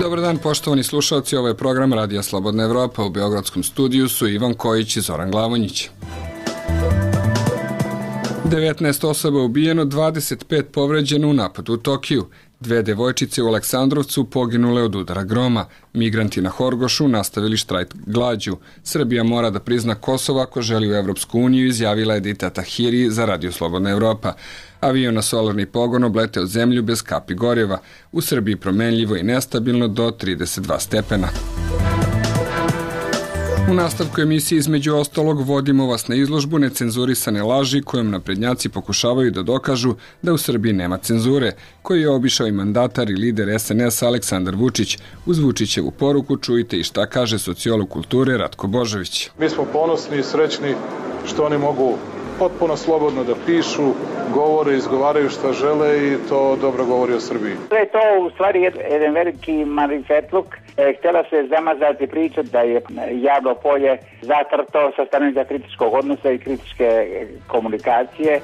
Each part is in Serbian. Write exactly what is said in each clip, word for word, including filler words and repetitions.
Dobar dan, poštovani slušalci, ovo je program Radija Slobodna Evropa. U beogradskom studiju su Ivan Kojić i Zoran Glavonjić. devetnaest osoba ubijeno, dvadeset pet povređeno u napadu u Tokiju. Dve devojčice u Aleksandrovcu poginule od udara groma. Migranti na Horgošu nastavili štrajk glađu. Srbija mora da prizna Kosovo ako želi u Evropsku uniju, izjavila je Edita Tahiri za Radio Slobodna Evropa. Avion na solarni pogon obleteo zemlju bez kapi gorjeva. U Srbiji promenljivo i nestabilno do trideset dva stepena. U nastavku emisije između ostalog vodimo vas na izložbu necenzurisane laži kojom naprednjaci pokušavaju da dokažu da u Srbiji nema cenzure, koji je obišao i mandatar i lider es en es Aleksandar Vučić. Uz Vučićevu poruku čujte i šta kaže sociolog kulture Ratko Božović. Mi smo ponosni i srećni što oni mogu potpuno slobodno da pišu, govore, izgovaraju šta žele i to dobro govori o Srbiji. To je to u stvari jedan veliki marifetluk. Htjela se zamazati priča da je javno polje zatrto sa stanovišta kritičkog odnosa i kritičke komunikacije.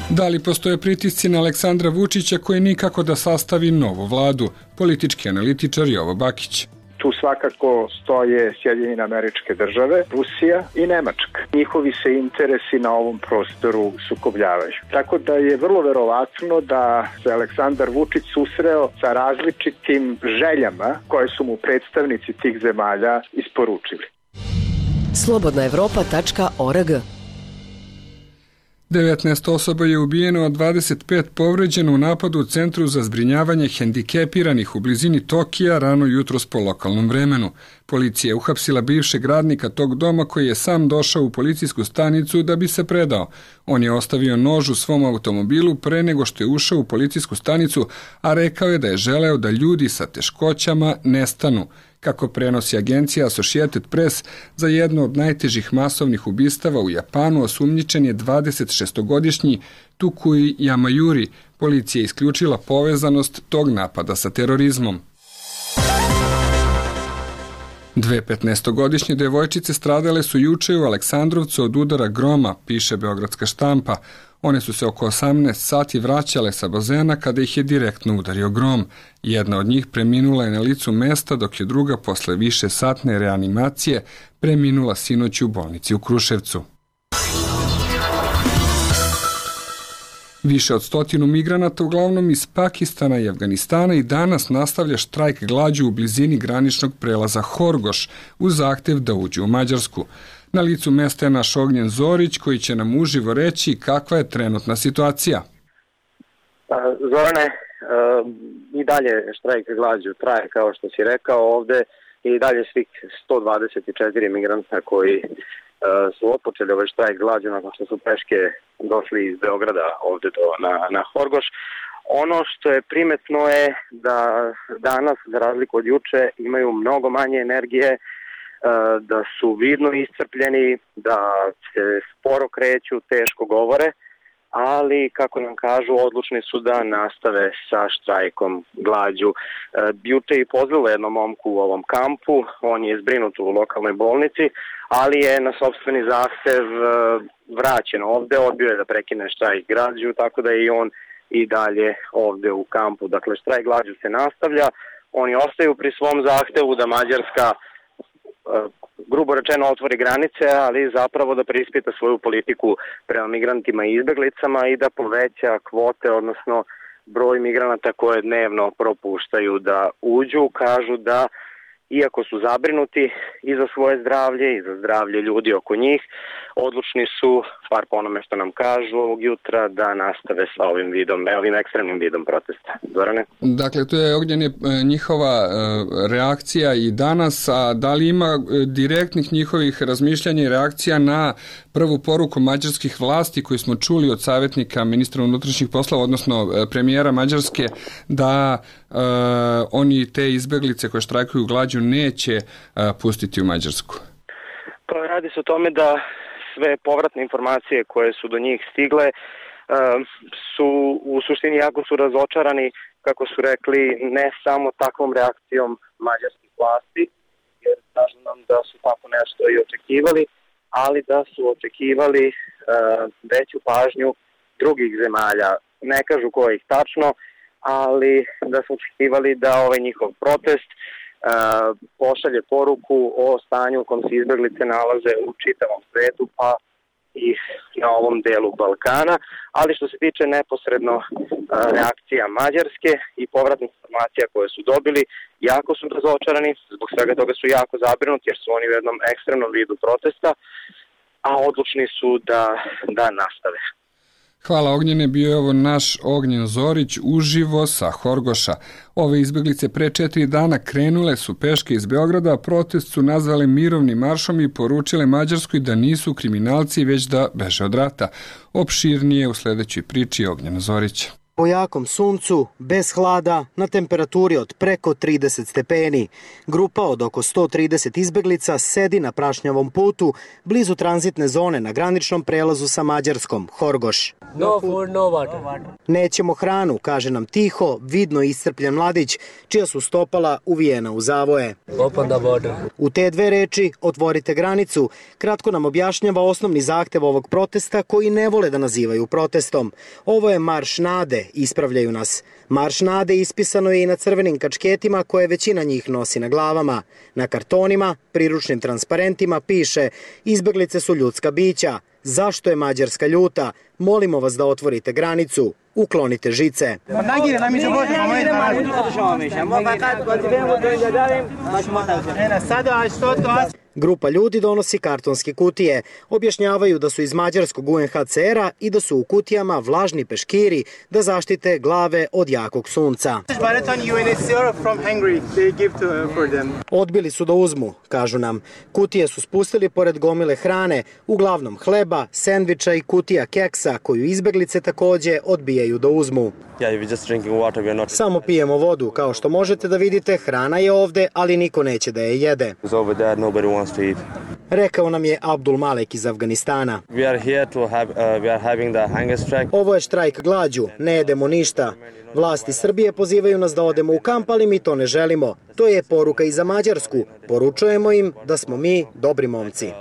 Da li postoje pritisci na Aleksandra Vučića koji nikako da sastavi novu vladu? Politički analitičar Jovo Bakić. Tu svakako stoje Sjedinjene Američke Države, Rusija i Nemačka. Njihovi se interesi na ovom prostoru sukobljavaju. Tako da je vrlo verovatno da se Aleksandar Vučić susreo sa različitim željama koje su mu predstavnici tih zemalja isporučili. slobodna evropa tačka org devetnaest osoba je ubijeno, a dvadeset pet povređeno u napadu u centru za zbrinjavanje hendikepiranih u blizini Tokija rano jutros po lokalnom vremenu. Policija je uhapsila bivšeg radnika tog doma koji je sam došao u policijsku stanicu da bi se predao. On je ostavio nož u svom automobilu pre nego što je ušao u policijsku stanicu, a rekao je da je želeo da ljudi sa teškoćama nestanu. Kako prenosi agencija Associated Press, za jedno od najtežih masovnih ubistava u Japanu osumnjičen je dvadesetšestogodišnji Tukui Yamayuri. Policija je isključila povezanost tog napada sa terorizmom. Dve petnaestogodišnje devojčice stradale su juče u Aleksandrovcu od udara groma, piše beogradska štampa. One su se oko osamnaest sati vraćale sa bazena kada ih je direktno udario grom. Jedna od njih preminula je na licu mesta, dok je druga posle više satne reanimacije preminula sinoć u bolnici u Kruševcu. Više od stotinu migranata, uglavnom iz Pakistana i Afganistana, i danas nastavlja štrajk glađu u blizini graničnog prelaza Horgoš uz zahtev da uđu u Mađarsku. Na licu mesta je naš Ognjen Zorić koji će nam uživo reći kakva je trenutna situacija. Zorane, i dalje štrajk glađu traje, kao što si rekao ovde, i dalje svih sto dvadeset četiri migranta koji su otpočeli ovaj štrajk glađu nakon što su peške došli iz Beograda ovde do, na, na Horgoš. Ono što je primetno je da danas, za razliku od juče, imaju mnogo manje energije, da su vidno iscrpljeni, da se sporo kreću, teško govore, ali, kako nam kažu, odlučni su da nastave sa štrajkom glađu. Juče je pozvalo jednom momku u ovom kampu, on je zbrinut u lokalnoj bolnici, ali je na sopstveni zahtev vraćen ovde, odbio je da prekine štrajk glađu, tako da je i on i dalje ovde u kampu. Dakle, štrajk glađu se nastavlja, oni ostaju pri svom zahtevu da Mađarska grubo rečeno otvori granice, ali zapravo da preispita svoju politiku prema migrantima i izbeglicama i da poveća kvote, odnosno broj migranata koje dnevno propuštaju da uđu. Kažu da, iako su zabrinuti i za svoje zdravlje i za zdravlje ljudi oko njih, odlučni su, par po onome što nam kažu ovog jutra, da nastave sa ovim vidom, ovim ekstremnim vidom protesta. Zorane? Dakle, to je Ognjen njihova reakcija i danas, a da li ima direktnih njihovih razmišljanja i reakcija na prvu poruku mađarskih vlasti koju smo čuli od savjetnika ministra unutrašnjih poslova, odnosno premijera Mađarske, da uh, oni te izbeglice koje štrajkuju glađu neće uh, pustiti u Mađarsku? Pa radi se o tome da sve povratne informacije koje su do njih stigle uh, su u suštini jako su razočarani, kako su rekli, ne samo takvom reakcijom mađarskih vlasti, jer kažu nam da su tako nešto i očekivali, ali da su očekivali uh, veću pažnju drugih zemalja. Ne kažu kojih tačno, ali da smo očekivali da ovaj njihov protest uh, pošalje poruku o stanju u kom se izbeglice nalaze u čitavom svetu, pa i na ovom delu Balkana, ali što se tiče neposredno uh, reakcija Mađarske i povratnih informacija koje su dobili, jako su razočarani, zbog svega toga su jako zabrinuti jer su oni u jednom ekstremnom vidu protesta, a odlučni su da, da nastave. Hvala Ognjene, bio je ovo naš Ognjen Zorić uživo sa Horgoša. Ove izbeglice pre četiri dana krenule su peške iz Beograda, a protest su nazvale mirovnim maršom i poručile Mađarskoj da nisu kriminalci, već da beže od rata. Opširnije u sledećoj priči Ognjena Zorića. Po jakom suncu, bez hlada, na temperaturi od preko trideset stepeni. Grupa od oko sto trideset izbeglica sedi na prašnjavom putu blizu tranzitne zone na graničnom prelazu sa Mađarskom, Horgoš. No food, no water. Nećemo hranu, kaže nam tiho, vidno iscrpljen mladić, čija su stopala uvijena u zavoje. Open the border. U te dve reči, otvorite granicu, kratko nam objašnjava osnovni zahtev ovog protesta koji ne vole da nazivaju protestom. Ovo je marš nade, ispravljaju nas. Marš nade ispisano je i na crvenim kačketima koje većina njih nosi na glavama. Na kartonima, priručnim transparentima piše: izbeglice su ljudska bića. Zašto je Mađarska ljuta? Molimo vas da otvorite granicu. Uklonite žice. Grupa ljudi donosi kartonske kutije. Objašnjavaju da su iz mađarskog U N H C R-a i da su u kutijama vlažni peškiri da zaštite glave od jakog sunca. Odbili su da uzmu, kažu nam. Kutije su spustili pored gomile hrane, uglavnom hleba, sendviča i kutija keksa koju izbeglice takođe odbijaju da uzmu. Samo pijemo vodu, kao što možete da vidite, hrana je ovde, ali niko neće da je jede. Rekao nam je Abdul Malek iz Afganistana. Ovo je štrajk glađu, ne jedemo ništa. Vlasti Srbije pozivaju nas da odemo u kamp, ali mi to ne želimo. To je poruka i za Mađarsku. Poručujemo im da smo mi dobri momci.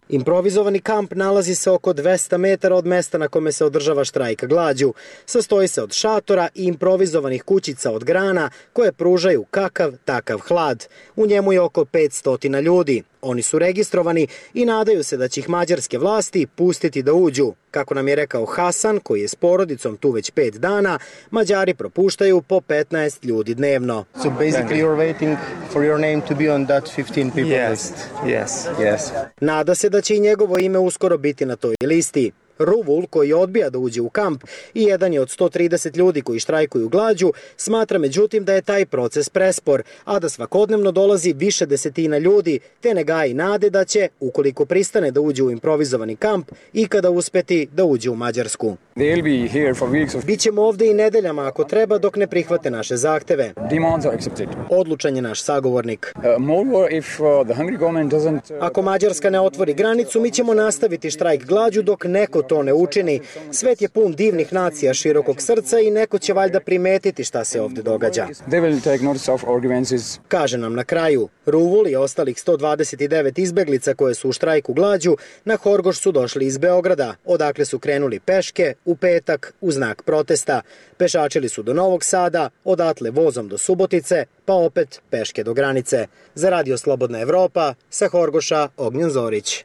Improvizovani kamp nalazi se oko dvesta metara od mesta na kome se održava štrajk glađu. Sastoji se od šatora i improvizovanih kućica od grana koje pružaju kakav takav hlad. U njemu je oko petsto ljudi. Oni su registrovani i nadaju se da će ih mađarske vlasti pustiti da uđu. Kako nam je rekao Hasan, koji je s porodicom tu već pet dana, Mađari propuštaju po petnaest ljudi dnevno. So basically you're waiting for your name to be on that fifteen people list. Yes, yes. Nada se da će i njegovo ime uskoro biti na toj listi. Ruvul, koji odbija da uđe u kamp i jedan je od sto trideset ljudi koji štrajkuju glađu, smatra međutim da je taj proces prespor, a da svakodnevno dolazi više desetina ljudi, te ne gaji nade da će, ukoliko pristane da uđe u improvizovani kamp, ikada uspeti da uđe u Mađarsku. Bićemo ovde i nedeljama ako treba dok ne prihvate naše zahteve. Odlučan je naš sagovornik. Ako Mađarska ne otvori granicu, mi ćemo nastaviti štrajk glađu dok neko to ne učini. Svet je pun divnih nacija širokog srca i neko će valjda primetiti šta se ovde događa. Kaže nam na kraju. Ruvul i ostalih sto dvadeset devet izbeglica koje su u štrajku glađu na Horgoš su došli iz Beograda, odakle su krenuli peške u petak u znak protesta. Pešačili su do Novog Sada, odatle vozom do Subotice, pa opet peške do granice. Za Radio Slobodna Evropa, sa Horgoša, Ognjen Zorić.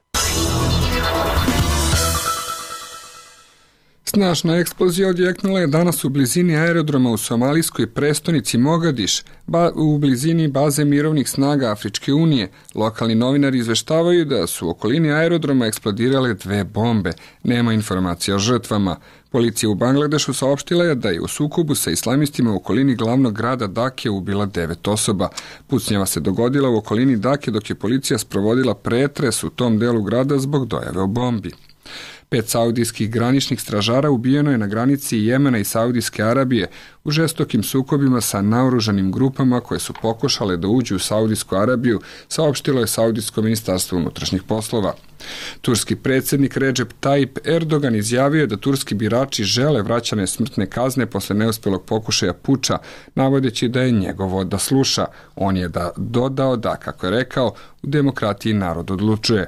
Snažna eksplozija odjeknula je danas u blizini aerodroma u somalijskoj prestonici Mogadiš, ba, u blizini baze mirovnih snaga Afričke unije. Lokalni novinari izveštavaju da su u okolini aerodroma eksplodirale dve bombe. Nema informacija o žrtvama. Policija u Bangladešu saopštila je da je u sukobu sa islamistima u okolini glavnog grada Dake ubila devet osoba. Pucnjava se dogodila u okolini Dake dok je policija sprovodila pretres u tom delu grada zbog dojave o bombi. Pet saudijskih graničnih stražara ubijeno je na granici Jemena i Saudijske Arabije u žestokim sukobima sa naoružanim grupama koje su pokušale da uđu u Saudijsku Arabiju, saopštilo je Saudijsko ministarstvo unutrašnjih poslova. Turski predsjednik Recep Tayyip Erdogan izjavio je da turski birači žele vraćanje smrtne kazne posle neuspjelog pokušaja puča, navodeći da je njegovo da sluša. On je da dodao da, kako je rekao, u demokratiji narod odlučuje.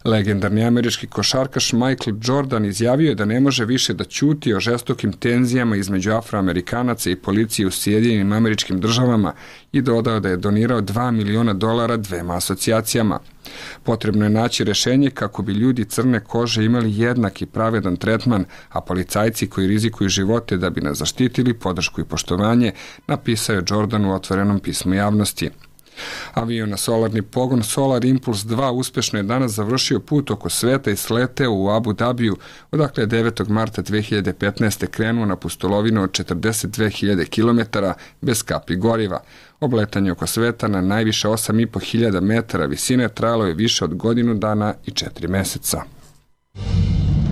Legendarni američki košarkaš Michael Jordan izjavio je da ne može više da ćuti o žestokim tenzijama između Afroamerikanaca i policije u Sjedinjenim Američkim Državama i dodao da je donirao dva miliona dolara dvema asocijacijama. Potrebno je naći rešenje kako bi ljudi crne kože imali jednak i pravedan tretman, a policajci koji rizikuju živote da bi nas zaštitili podršku i poštovanje, napisao je Jordan u otvorenom pismu javnosti. Avion na solarni pogon Solar Impulse dva uspešno je danas završio put oko sveta i sleteo u Abu Dabiju, odakle je devetog marta dve hiljade petnaeste. krenuo na pustolovinu od četrdeset dve hiljade kilometara bez kapi goriva. Obletanje oko sveta na najviše osam i po hiljada metara visine trajalo je više od godinu dana i četiri meseca.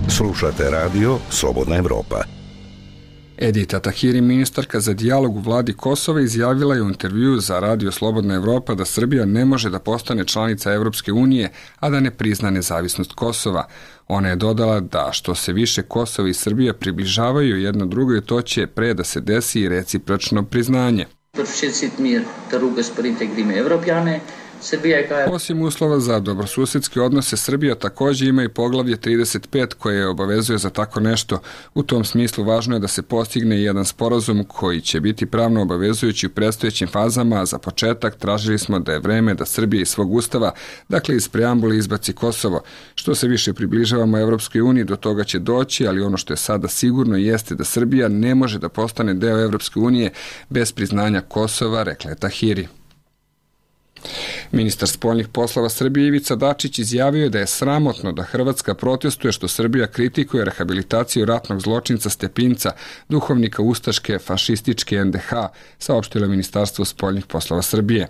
Slušate radio Slobodna Evropa. Edita Tahiri, ministarka za dijalog u vladi Kosova, izjavila je u intervjuu za radio Slobodna Evropa da Srbija ne može da postane članica Evropske unije, a da ne prizna nezavisnost Kosova. Ona je dodala da što se više Kosova i Srbija približavaju jedno drugoj, to će pre da se desi i recipročno priznanje. Osim uslova za dobrosusedske odnose, Srbija također ima i poglavlje trideset pet koje je obavezuje za tako nešto. U tom smislu važno je da se postigne jedan sporazum koji će biti pravno obavezujući u predstojećim fazama, a za početak tražili smo da je vreme da Srbija iz svog ustava, dakle iz preambule, izbaci Kosovo. Što se više približavamo Evropskoj uniji, do toga će doći, ali ono što je sada sigurno jeste da Srbija ne može da postane deo Evropske unije bez priznanja Kosova, rekla je Tahiri. Ministar spoljnih poslova Srbije Ivica Dačić izjavio je da je sramotno da Hrvatska protestuje što Srbija kritikuje rehabilitaciju ratnog zločinca Stepinca, duhovnika ustaške fašističke en de ha, saopštilo Ministarstvo spoljnih poslova Srbije.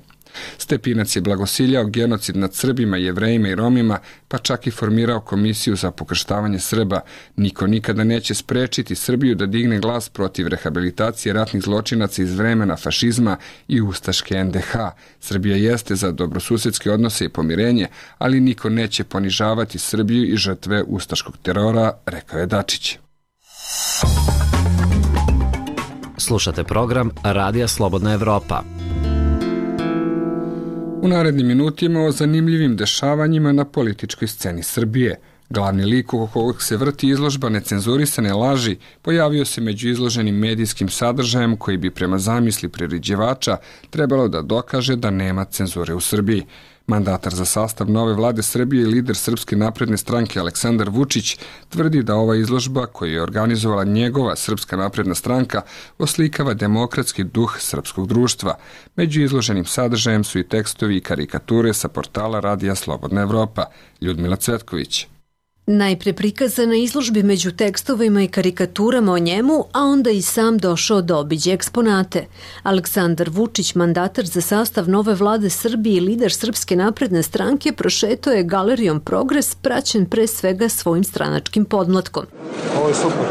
Stepinac je blagosiljao genocid nad Srbima, Jevrejima i Romima, pa čak i formirao komisiju za pokrštavanje Srba. Niko nikada neće sprečiti Srbiju da digne glas protiv rehabilitacije ratnih zločinaca iz vremena fašizma i ustaške en de ha. Srbija jeste za dobrosusedske odnose i pomirenje, ali niko neće ponižavati Srbiju i žrtve ustaškog terora, rekao je Dačić. Slušate program Radija Slobodna Evropa. U narednim minutima o zanimljivim dešavanjima na političkoj sceni Srbije. Glavni lik oko kojeg se vrti izložba Necenzurisane laži pojavio se među izloženim medijskim sadržajem koji bi prema zamisli priređivača trebalo da dokaže da nema cenzure u Srbiji. Mandatar za sastav nove vlade Srbije i lider Srpske napredne stranke Aleksandar Vučić tvrdi da ova izložba koju je organizovala njegova Srpska napredna stranka oslikava demokratski duh srpskog društva. Među izloženim sadržajem su i tekstovi i karikature sa portala Radija Slobodna Evropa. Ljudmila Cvetković. Najpre prikazan na izložbi među tekstovima i karikaturama o njemu, a onda i sam došao da obiđe eksponate. Aleksandar Vučić, mandatar za sastav nove vlade Srbije i lider Srpske napredne stranke, prošetao je galerijom Progres, praćen pre svega svojim stranačkim podmlatkom. Ovo je super.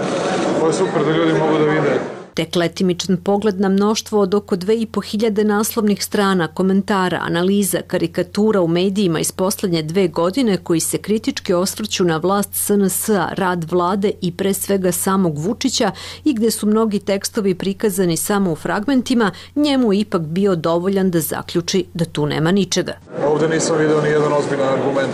Ovo je super da ljudi mogu da vide. Tek letimičan pogled na mnoštvo od oko dve i po hiljade naslovnih strana, komentara, analiza, karikatura u medijima iz poslednje dve godine koji se kritički osvrću na vlast es en es a, rad vlade i pre svega samog Vučića i gde su mnogi tekstovi prikazani samo u fragmentima, njemu ipak bio dovoljan da zaključi da tu nema ničega. Ovde nisam video ni jedan ozbiljan argument,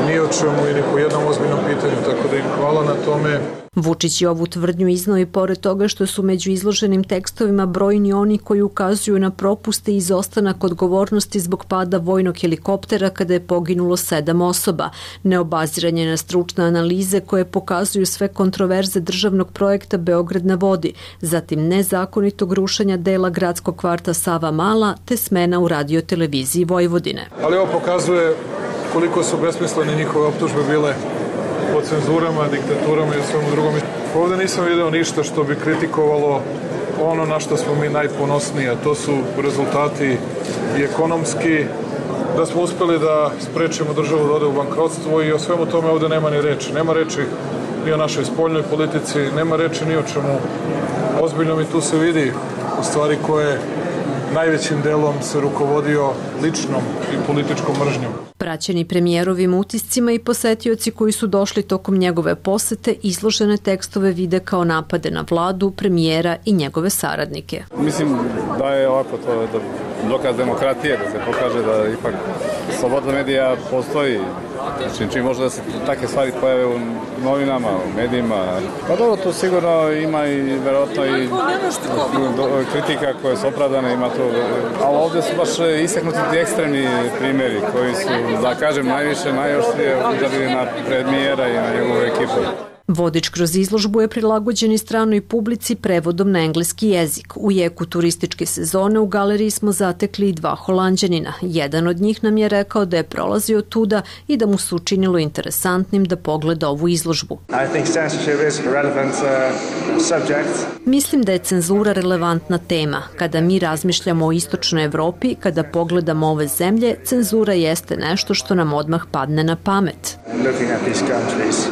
ni o čemu i ni po jednom ozbiljnom pitanju, tako da im hvala na tome. Vučić je ovu tvrdnju iznao i pored toga što su među izloženim tekstovima brojni oni koji ukazuju na propuste i izostanak odgovornosti zbog pada vojnog helikoptera kada je poginulo sedam osoba, neobaziranje na stručne analize koje pokazuju sve kontroverze državnog projekta Beograd na vodi, zatim nezakonitog rušenja dela gradskog kvarta Sava Mala te smena u radioteleviziji Vojvodine. Ali ovo pokazuje koliko su besmislene njihove optužbe bile o cenzurama, diktaturama i svemu drugom. Ovde nisam video ništa što bi kritikovalo ono na što smo mi najponosniji, a to su rezultati i ekonomski, da smo uspeli da sprečimo državu da ode u bankrotstvo i o svemu tome ovde nema ni reči. Nema reči ni o našoj spoljnoj politici, nema reči ni o čemu ozbiljnom i tu se vidi u stvari ko je najvećim delom se rukovodio ličnom i političkom mržnjom. Praćeni premijerovim utiscima i posetioci koji su došli tokom njegove posete izložene tekstove vide kao napade na vladu, premijera i njegove saradnike. Mislim da je ovako to da dokaz demokratije, da se pokaže da ipak sloboda medija postoji. Znači, čim može da se takve stvari pojave u novinama, u medijima. Pa dobro, tu sigurno ima i verovatno i kritika koje su opravdane, ima to, ali ovdje su baš istaknuti ti ekstremni primjeri koji su, da kažem, najviše, najoštrije udarili na premijera i na njegovu ekipu. Vodič kroz izložbu je prilagođen i stranoj publici prevodom na engleski jezik. U jeku turističke sezone u galeriji smo zatekli i dva Holanđanina. Jedan od njih nam je rekao da je prolazio tuda i da mu se učinilo interesantnim da pogleda ovu izložbu. Mislim da je cenzura relevantna tema. Kada mi razmišljamo o istočnoj Evropi, kada pogledamo ove zemlje, cenzura jeste nešto što nam odmah padne na pamet.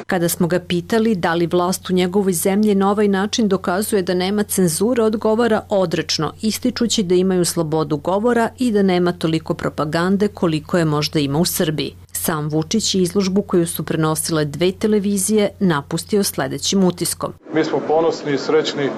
Kada smo ga pitali da li vlast u njegovoj zemlji na ovaj način dokazuje da nema cenzure, odgovara odrečno, ističući da imaju slobodu govora i da nema toliko propagande koliko je možda ima u Srbiji. Sam Vučić je izložbu koju su prenosile dve televizije napustio sledećim utiskom. Mi smo ponosni i srećni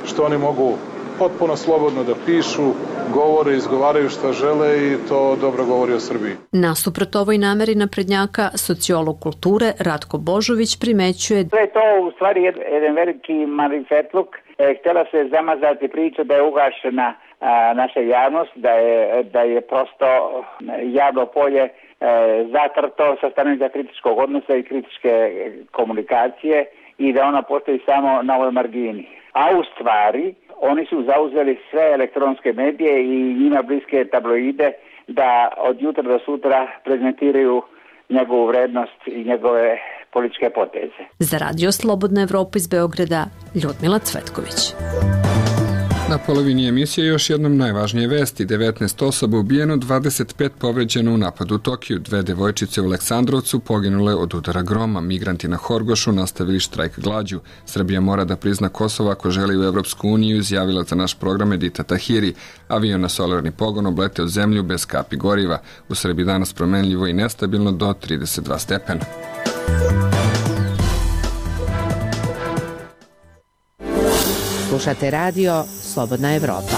što oni mogu potpuno slobodno da pišu, govore, izgovaraju šta žele i to dobro govori o Srbiji. Nasuprot ovoj nameri naprednjaka, sociolog kulture Ratko Božović primećuje da je to u stvari jedan veliki marifetluk. Htjela se zamazati priča da je ugašena naša javnost, da je, da je prosto javno polje zatrto sa stanovišta kritičkog odnosa i kritičke komunikacije i da ona postoji samo na ovoj margini. A u stvari oni su zauzeli sve elektronske medije i njima bliske tabloide da od jutra do sutra prezentiraju njegovu vrednost i njegove političke poteze. Za Radio Slobodna Evropa iz Beograda, Ljudmila Cvetković. Na polovini emisije još jednom najvažnije vesti. devetnaest osoba ubijeno, dvadeset pet povređeno u napadu u Tokiju. Dve devojčice u Aleksandrovcu poginule od udara groma. Migranti na Horgošu nastavili štrajk glađu. Srbija mora da prizna Kosovo ako želi u Evropsku uniju, izjavila za naš program Edita Tahiri. Avion na solarni pogon obleteo zemlju bez kapi goriva. U Srbiji danas promenljivo i nestabilno do trideset dva stepena. Slušate radio Slobodna Evropa.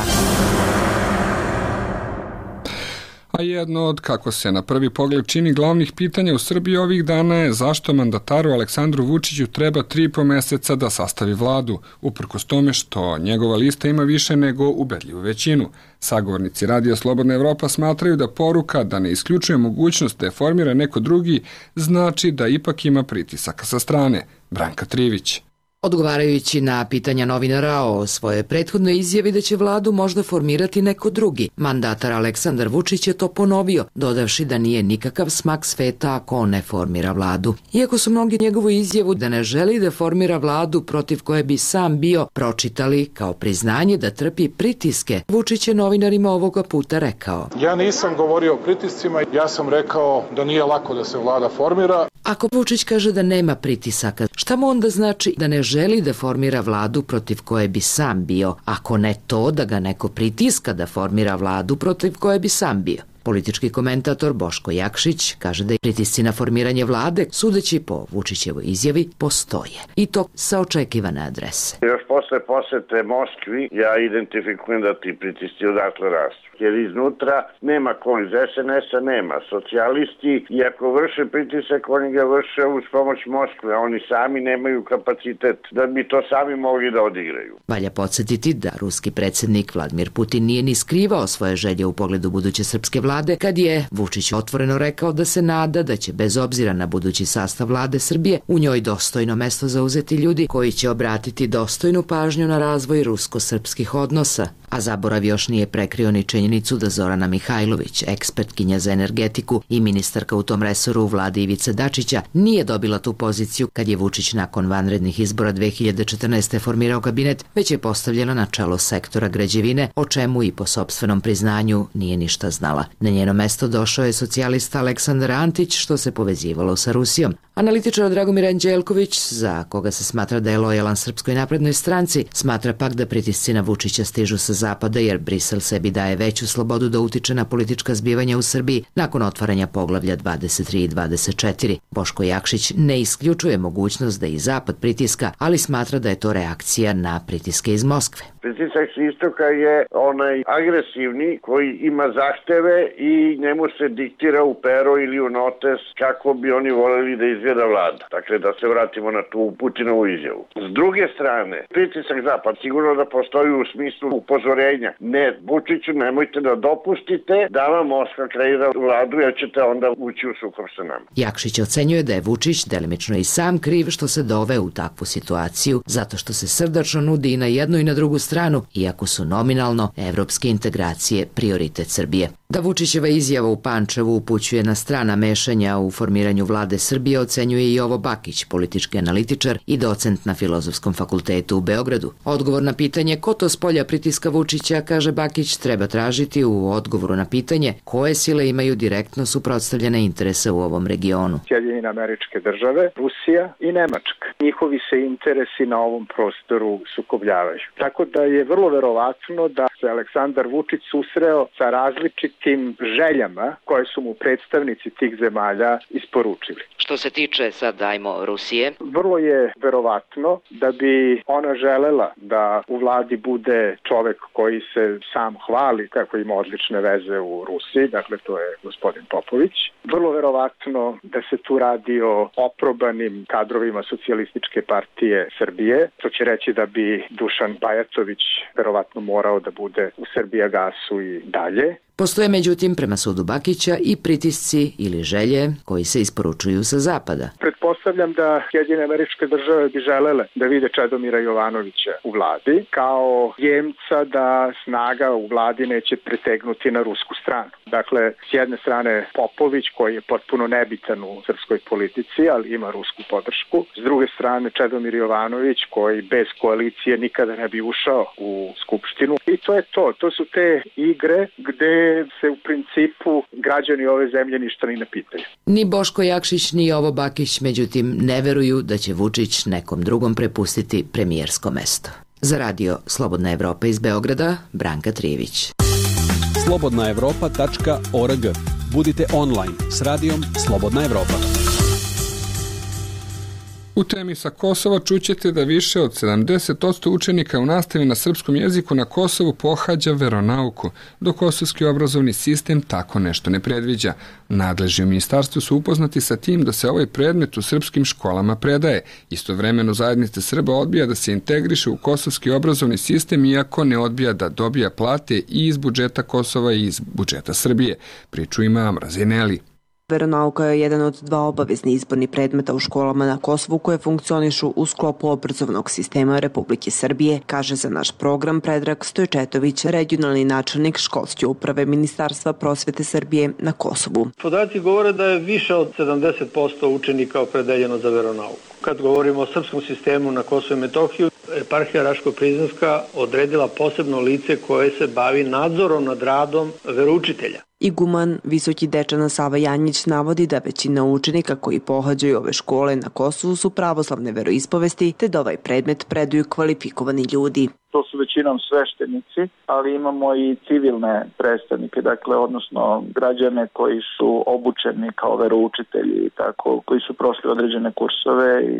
A jedno od, kako se na prvi pogled čini, glavnih pitanja u Srbiji ovih dana je zašto mandataru Aleksandru Vučiću treba tri i po meseca da sastavi vladu, uprkos tome što njegova lista ima više nego ubedljivu većinu. Sagovornici Radija Slobodna Evropa smatraju da poruka da ne isključuje mogućnost da je formira neko drugi znači da ipak ima pritisaka sa strane. Branka Trivić. Odgovarajući na pitanja novinara o svojoj prethodnoj izjavi da će vladu možda formirati neko drugi, mandatar Aleksandar Vučić je to ponovio, dodavši da nije nikakav smak sveta ako on ne formira vladu. Iako su mnogi njegovu izjavu da ne želi da formira vladu protiv koje bi sam bio pročitali kao priznanje da trpi pritiske, Vučić je novinarima ovoga puta rekao: Ja nisam govorio o pritiscima, ja sam rekao da nije lako da se vlada formira. Ako Vučić kaže da nema pritisaka, šta mu onda znači da ne želi da formira vladu protiv koje bi sam bio, ako ne to da ga neko pritiska da formira vladu protiv koje bi sam bio? Politički komentator Boško Jakšić kaže da je pritisci na formiranje vlade, sudeći po Vučićevoj izjavi, postoje. I to sa očekivane adrese. Još posle posete Moskvi ja identifikujem da ti pritisci odatle rastu. Jer iznutra nema ko iz es en es-a, nema socijalisti i ako vrše pritisak, oni ga vrše uz pomoć Moskve, a oni sami nemaju kapacitet da bi to sami mogli da odigraju. Valja podsjetiti da ruski predsjednik Vladimir Putin nije ni skrivao svoje želje u pogledu buduće srpske vlade, kad je Vučić otvoreno rekao da se nada da će bez obzira na budući sastav vlade Srbije u njoj dostojno mesto zauzeti ljudi koji će obratiti dostojnu pažnju na razvoj rusko-srpskih odnosa. A zaborav još nije prekrio ni činjenicu da Zorana Mihajlović, ekspertkinja za energetiku i ministarka u tom resoru u vladi Ivice Dačića, nije dobila tu poziciju kad je Vučić nakon vanrednih izbora dve hiljade četrnaeste. formirao kabinet, već je postavljena na čelo sektora građevine, o čemu i po sopstvenom priznanju nije ništa znala. Na njeno mesto došao je socijalista Aleksandar Antić, što se povezivalo sa Rusijom, Analitičar Dragomir Anđelković, za koga se smatra da je lojalan Srpskoj naprednoj stranci, smatra pak da pritisci na Vučića stižu sa zapada jer Brisel sebi daje veću slobodu da utiče na politička zbivanja u Srbiji nakon otvaranja poglavlja dvadeset tri i dvadeset četiri. Boško Jakšić ne isključuje mogućnost da i zapad pritiska, ali smatra da je to reakcija na pritiske iz Moskve. Pritisak s istoka je onaj agresivni koji ima zahteve i njemu se diktira u pero ili u notes kako bi oni voljeli da izgleda vlada. Dakle, da se vratimo na tu Putinovu izjavu. S druge strane, pritisak zapad sigurno da postoji u smislu upozorenja. Ne, Vučiću, nemojte da dopustite da vam Moskva kreira vladu jer ćete onda ući u sukob sa nama. Jakšić ocenjuje da je Vučić delimično i sam kriv što se doveo u takvu situaciju, zato što se srdačno nudi i na jednu i na drugu stranu, iako su nominalno evropske integracije prioritet Srbije. Da Vučićeva izjava u Pančevu upućuje na strana mešanja u formiranju vlade Srbije ocenjuje i Jovo Bakić, politički analitičar i docent na Filozofskom fakultetu u Beogradu. Odgovor na pitanje ko to s polja pritiska Vučića, kaže Bakić, treba tražiti u odgovoru na pitanje koje sile imaju direktno suprotstavljene interese u ovom regionu. Sjedinjene Američke Države, Rusija i Nemačka. Njihovi se interesi na ovom prostoru sukobljavaju. Tako da je vrlo verovatno da se Aleksandar Vučić susreo sa različitim željama koje su mu predstavnici tih zemalja isporučili. Što se tiče sad, ajmo, Rusije? Vrlo je verovatno da bi ona želela da u vladi bude čovek koji se sam hvali kako ima odlične veze u Rusiji, dakle to je gospodin Popović. Vrlo verovatno da se tu radi o oprobanim kadrovima Socijalističke partije Srbije, to će reći da bi Dušan Bajatović verovatno morao da bude u Srbijagasu i dalje. Postoje međutim, prema sudu Bakića, i pritisci ili želje koji se isporučuju sa zapada. Pretpostavljam da Sjedinjene Američke Države bi želele da vide Čedomira Jovanovića u vladi kao jemca da snaga u vladi neće pretegnuti na rusku stranu. Dakle, s jedne strane Popović koji je potpuno nebitan u srpskoj politici, ali ima rusku podršku. S druge strane Čedomir Jovanović koji bez koalicije nikada ne bi ušao u Skupštinu. I to je to. To su te igre gde se u principu građani ove zemlje ništa ni ne pitaju. Ni Boško Jakšić ni Jovo Bakić, međutim, ne veruju da će Vučić nekom drugom prepustiti premijersko mesto. Za radio Slobodna Evropa iz Beograda, Branka Trijević. slobodna evropa tačka org. Budite online s radijom Slobodna Evropa. U temi sa Kosova čućete da više od sedamdeset posto učenika u nastavi na srpskom jeziku na Kosovu pohađa veronauku, dok kosovski obrazovni sistem tako nešto ne predviđa. Nadležni u ministarstvu su upoznati sa tim da se ovaj predmet u srpskim školama predaje. Istovremeno zajednica Srba odbija da se integriše u kosovski obrazovni sistem, iako ne odbija da dobija plate i iz budžeta Kosova i iz budžeta Srbije. Priču ima Amra Zeneli. Veronauka je jedan od dva obavezni izborni predmeta u školama na Kosovu koje funkcionišu u sklopu obrazovnog sistema Republike Srbije, kaže za naš program Predrag Stojčetović, regionalni načelnik školske uprave Ministarstva prosvete Srbije na Kosovu. Podaci govore da je više od sedamdeset posto učenika opredeljeno za veronauku. Kad govorimo o srpskom sistemu na Kosovu i Metohiju, eparhija Raško-Prizrenska odredila posebno lice koje se bavi nadzorom nad radom veroučitelja. Iguman Visoki dečana Sava Janjić navodi da većina učenika koji pohađaju ove škole na Kosovu su pravoslavne veroispovesti, te da ovaj predmet predaju kvalifikovani ljudi. To su većinom sveštenici, ali imamo i civilne predstavnike, dakle, odnosno građane koji su obučeni kao veroučitelji, tako, koji su prošli određene kursove i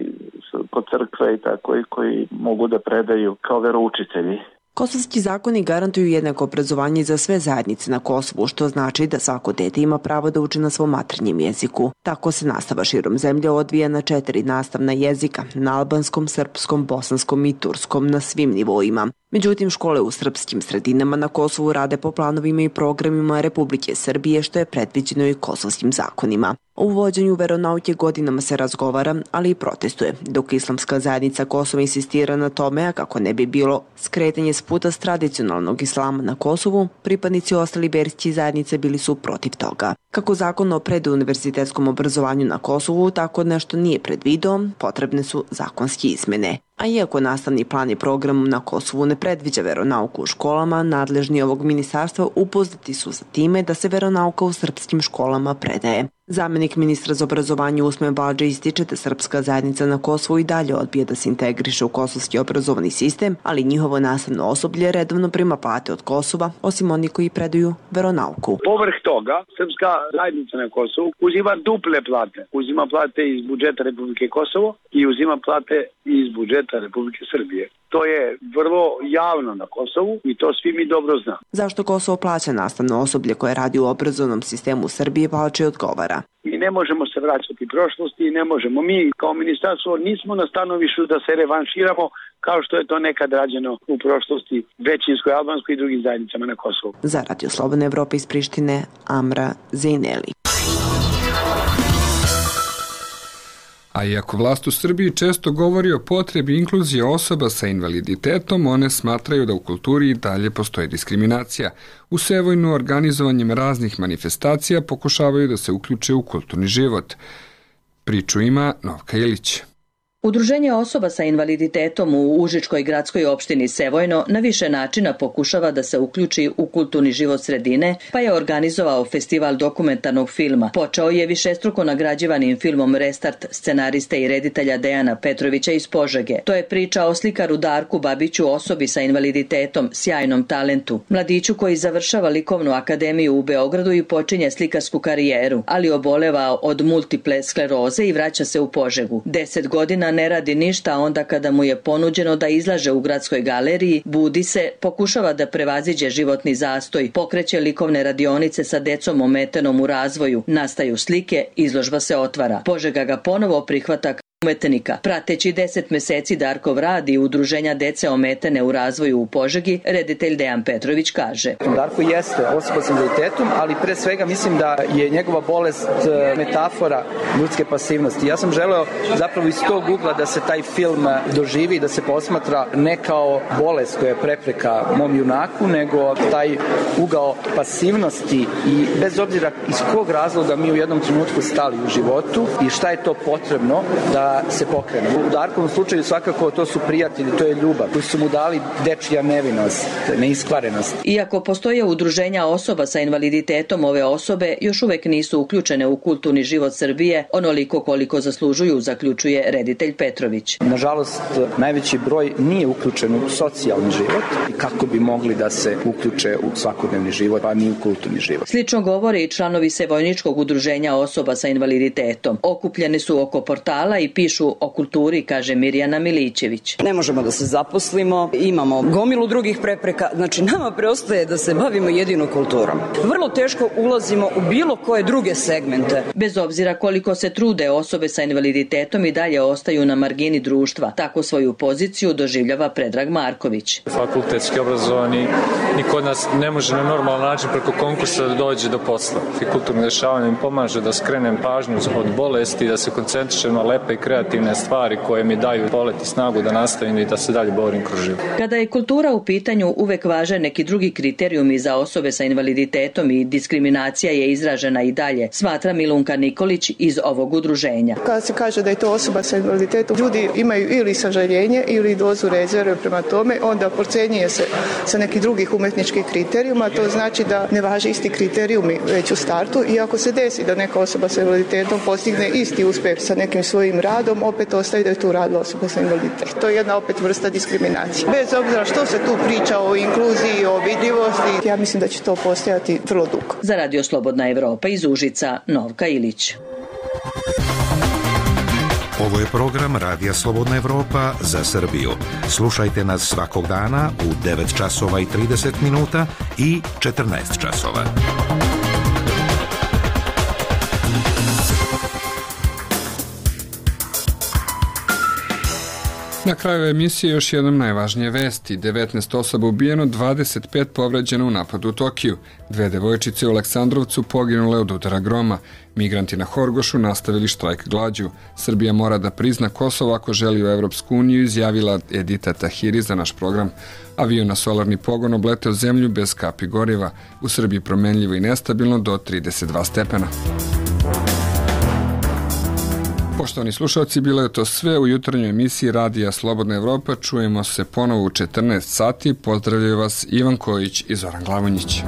kod crkve i tako, i koji mogu da predaju kao veroučitelji. Kosovski zakoni garantuju jednako obrazovanje za sve zajednice na Kosovu, što znači da svako dete ima pravo da uči na svom maternjem jeziku. Tako se nastava širom zemlje odvija na četiri nastavna jezika, na albanskom, srpskom, bosanskom i turskom na svim nivoima. Međutim, škole u srpskim sredinama na Kosovu rade po planovima i programima Republike Srbije, što je predviđeno i kosovskim zakonima. O uvođenju veronauke godinama se razgovara, ali i protestuje, dok islamska zajednica Kosova insistira na tome, a kako ne bi bilo skretanje s puta s tradicionalnog islama na Kosovu, pripadnici ostali verskih zajednice bili su protiv toga. Kako zakon o preduniverzitetskom obrazovanju na Kosovu tako nešto nije predvideo, potrebne su zakonske izmene. A iako nastavni plan i program na Kosovu ne predviđa veronauku u školama, nadležni ovog ministarstva upoznati su sa time da se veronauka u srpskim školama predaje. Zamenik ministra za obrazovanje Usmen Badže ističe da srpska zajednica na Kosovu i dalje odbije da se integriše u kosovski obrazovni sistem, ali njihovo nastavno osoblje redovno prima plate od Kosova, osim oni koji predaju veronauku. Povrh toga, srpska zajednica na Kosovu uzima duple plate. Uzima plate iz budžeta Republike Kosovo i uzima plate iz budžeta Republike Srbije. To je vrlo javno na Kosovu i to svi mi dobro znamo. Zašto Kosovo plaća nastavno osoblje koje radi u obrazovnom sistemu Srbije, Badže odgovara. Mi ne možemo se vraćati prošlosti i ne možemo. Mi kao ministarstvo nismo na stanovištu da se revanširamo kao što je to nekad rađeno u prošlosti većinskoj, albanskoj i drugim zajednicama na Kosovu. Za Radio Slobodna Evropa iz Prištine, Amra Zejneli. A iako vlast u Srbiji često govori o potrebi inkluzije osoba sa invaliditetom, one smatraju da u kulturi i dalje postoji diskriminacija. U Sevojnu organizovanjem raznih manifestacija pokušavaju da se uključe u kulturni život. Priču ima Novka Ilić. Udruženje osoba sa invaliditetom u Užičkoj gradskoj opštini Sevojno na više načina pokušava da se uključi u kulturni život sredine, pa je organizovao festival dokumentarnog filma. Počeo je višestruko nagrađivanim filmom Restart scenariste i reditelja Dejana Petrovića iz Požege. To je priča o slikaru Darku Babiću, osobi sa invaliditetom, sjajnom talentu. Mladiću koji završava likovnu akademiju u Beogradu i počinje slikarsku karijeru, ali oboleva od multiple skleroze i vraća se u Požegu. Deset godina ne radi ništa, a onda kada mu je ponuđeno da izlaže u gradskoj galeriji, budi se, pokušava da prevaziđe životni zastoj, pokreće likovne radionice sa decom ometenom u razvoju, nastaju slike, izložba se otvara. Požega ga ponovo prihvata umetnika. Prateći deset meseci Darkov rad i udruženja dece ometene u razvoju u Požegi, reditelj Dejan Petrović kaže. Darko jeste osoba s invaliditetom, ali pre svega mislim da je njegova bolest metafora ljudske pasivnosti. Ja sam želeo zapravo iz tog ugla da se taj film doživi, da se posmatra ne kao bolest koja je prepreka mom junaku, nego taj ugao pasivnosti i bez obzira iz kog razloga mi u jednom trenutku stali u životu i šta je to potrebno da se pokrene. U Darkovom slučaju svakako to su prijatelji, to je ljubav, koji su mu dali dečija nevinost, neiskvarenost. Iako postoje udruženja osoba sa invaliditetom, ove osobe još uvek nisu uključene u kulturni život Srbije onoliko koliko zaslužuju, zaključuje reditelj Petrović. Nažalost, najveći broj nije uključen u socijalni život i kako bi mogli da se uključe u svakodnevni život, pa ni u kulturni život. Slično govore i članovi Sevojničkog udruženja osoba sa invaliditetom. Okupljeni su oko portala i pišu o kulturi, kaže Mirjana Milićević. Ne možemo da se zaposlimo, imamo gomilu drugih prepreka, znači nama preostaje da se bavimo jedino kulturom. Vrlo teško ulazimo u bilo koje druge segmente. Bez obzira koliko se trude, osobe sa invaliditetom i dalje ostaju na margini društva. Tako svoju poziciju doživljava Predrag Marković. Fakultetski obrazovani niko od nas ne može na normalan način preko konkursa da dođe do posla. Kulturno dešavanje mi pomaže da skrenem pažnju od bolesti, da se koncentrišem na lepe i kreativne stvari koje mi daju polet i snagu da nastavim i da se dalje borim kroz život. Kada je kultura u pitanju, uvek važe neki drugi kriterijumi za osobe sa invaliditetom i diskriminacija je izražena i dalje, smatra Milunka Nikolić iz ovog udruženja. Kada se kaže da je to osoba sa invaliditetom, ljudi imaju ili sažaljenje ili dozu rezerve prema tome, onda procenjuje se sa nekih drugih umetničkih kriterijuma, to znači da ne važe isti kriterijumi već u startu i ako se desi da neka osoba sa invaliditetom postigne isti uspeh sa nekim svojim radom, opet ostaje da je tu radila osoba sa invaliditetom. To je jedna opet vrsta diskriminacije. Bez obzira što se tu priča o inkluziji, o vidljivosti, ja mislim da će to postojati vrlo dugo. Za Radio Slobodna Evropa iz Užica, Novka Ilić. Ovo je program Radija Slobodna Evropa za Srbiju. Slušajte nas svakog dana u devet časova i trideset minuta i četrnaest časova. Na kraju emisije još jednom najvažnije vesti. devetnaest osoba ubijeno, dvadeset pet povređeno u napadu u Tokiju. Dve devojčice u Aleksandrovcu poginule od udara groma. Migranti na Horgošu nastavili štrajk glađu. Srbija mora da prizna Kosovo ako želi u Evropsku uniju, izjavila Edita Tahiri za naš program. Avion na solarni pogon obleteo zemlju bez kapi goriva. U Srbiji promenljivo i nestabilno do trideset dva stepena. Poštovani slušalci, bilo je to sve u jutarnjoj emisiji Radija Slobodna Evropa. Čujemo se ponovo u četrnaest sati. Pozdravljaju vas Ivan Kojić i Zoran Glavonjić.